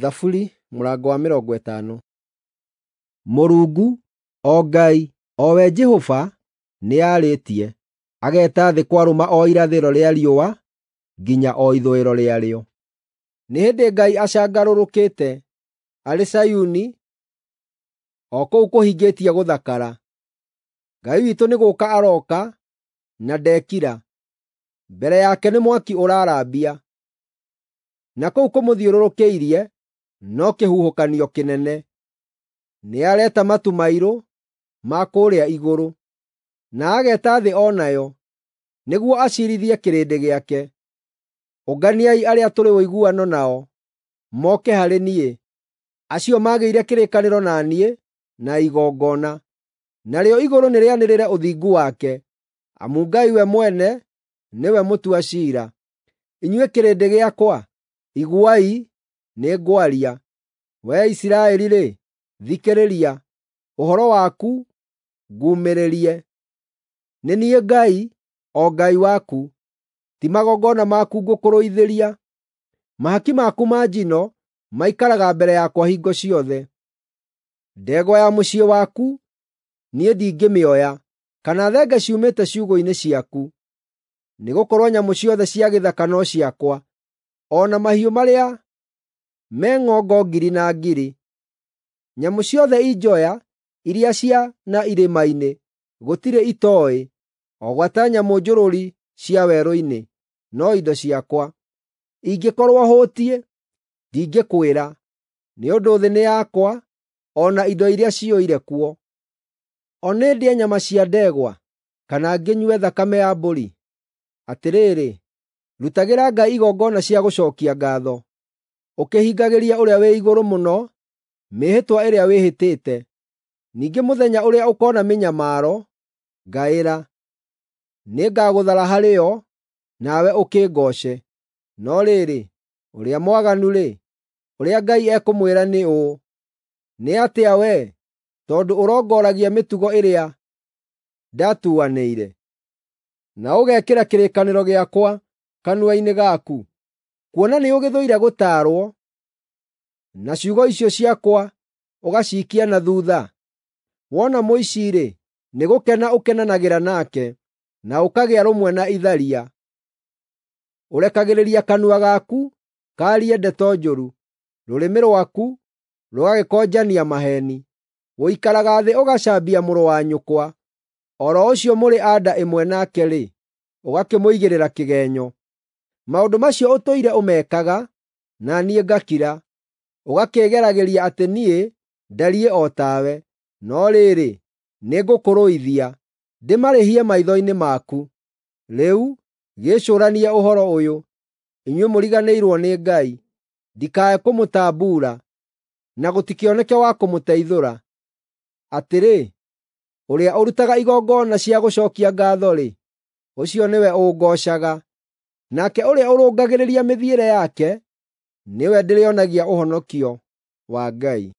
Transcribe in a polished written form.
Thaburi mũrango wa 50. Mũrungu, o Ngai, o we Jehova, nĩarĩtie, ageeta thĩ kwarũma o irathĩro rĩa riũa nginya o ithũĩro rĩarĩo. Nĩ hĩndĩ Ngai acangarũrũkĩte arĩ Zayuni, o kũu kũhingĩtie gũthakara. Ngai witũ nĩ gũũka arooka na ndekira; mbere yake nĩ mwaki ũrarambia, na kũu kũmũthiũrũrũkĩirie no kĩhuhũkanio kĩnene. Nĩareeta matu mairũ ma kũũrĩa igũrũ, na ageeta thĩ o nayo, nĩguo aciirithie kĩrĩndĩ gĩake. Ũnganiai arĩa tũrĩ ũiguano nao moke harĩ niĩ, acio maagĩire kĩrĩkanĩro na niĩ na igongona. Narĩo igũrũ nĩrĩanĩrĩre ũthingu wake, amu Ngai we mwene nĩwe mũtua ciira. Inyuĩ kĩrĩndĩ gĩakwa, iguai, nĩngwaria; wee Isiraeli-rĩ, thikĩrĩria, ũhoro waku nguumĩrĩrie. Nĩ niĩ Ngai, o Ngai waku; ti magongona maku ngũkũrũithĩria. Mahaki maku ma njino maikaraga mbere yakwa hingo ciothe. Ndegwa ya mũciĩ waku niĩ ndingĩmĩoya, kana thenge ciumĩte ciugũ-inĩ ciaku, nĩgũkorwo nyamũ ciothe cia gĩthaka no ciakwa, o na mahiũ marĩa me ng'ongo ngiri na ngiri. Nyamũ ciothe i njoya iria cia na irĩma-inĩ gũtirĩ itooĩ, o gwata nyamũ njũrũri cia werũ-inĩ no indo ciakwa. Ingĩkorwo hũtiĩ, ndingĩkwĩra, nĩ ũndũ thĩ nĩ yakwa o na indo iria ciyũire kuo. O nĩ ndĩe nyama cia ndegwa, kana ngĩnyue thakame ya mbũri? Atĩrĩrĩ, rutagĩra Ngai igongona cia gũcookia ngaatho, ũkĩhingagĩria Ũrĩa-wĩ-Igũrũ-Mũno mĩĩhĩtwa ĩrĩa wĩhĩtĩte. Ningĩ mũthenya ũrĩa ũkoona mĩnyamaro, ngaĩra. Nĩngagũthara harĩ yo, nawe ũkĩngooce. No rĩrĩ, ũrĩa mwaganu-rĩ, ũrĩa Ngai ekũmwĩra nĩ ũũ: Nĩ atĩa wee, tondũ ũrongoragia mĩtugo ĩrĩa ndatuanĩire, na ũgekĩra kĩrĩkanĩro gĩakwa kanua-inĩ gaku? Kuona nĩũgĩthũire gũtaarwo, na ciugo icio ciakwa ũgaciikia na thuutha. Wona mũici-rĩ, nĩgũkena ũkenanagĩra nake, na ũkagĩa rũmwe na itharia. Ũrekagĩrĩria kanua gaku kaarie ndeto njũru, rũrĩmĩ rwaku rũgagĩkonjania maheeni. Ũikaraga thĩ ũgacambia mũrũ wa nyũkwa, o ro ũcio mũrĩ a nda ĩmwe nake-rĩ, ũgakĩmũigĩrĩra kĩgeenyo. Maũndũ macio ũtũire ũmekaga, na niĩ ngakira, ũgakĩĩgeragĩria atĩ niĩ ndariĩ o tawe. No rĩrĩ, nĩngũkũrũithia, ndĩmarĩhie maitho-inĩ maku. Rĩu gĩĩcũranie ũhoro ũyũ, inyuĩ mũriganĩirwo nĩ Ngai, ndikae kũmũtambuura, na gũtikĩoneke wa kũmũteithũra. Atĩrĩ, ũrĩa ũrutaga igongona cia gũcookia ngaatho-rĩ, ũcio nĩwe ũngoocaga, nake ũrĩa ũrũngagĩrĩria mĩthiĩre yake, nĩwe ndĩrĩonagia ũhonokio wa Ngai.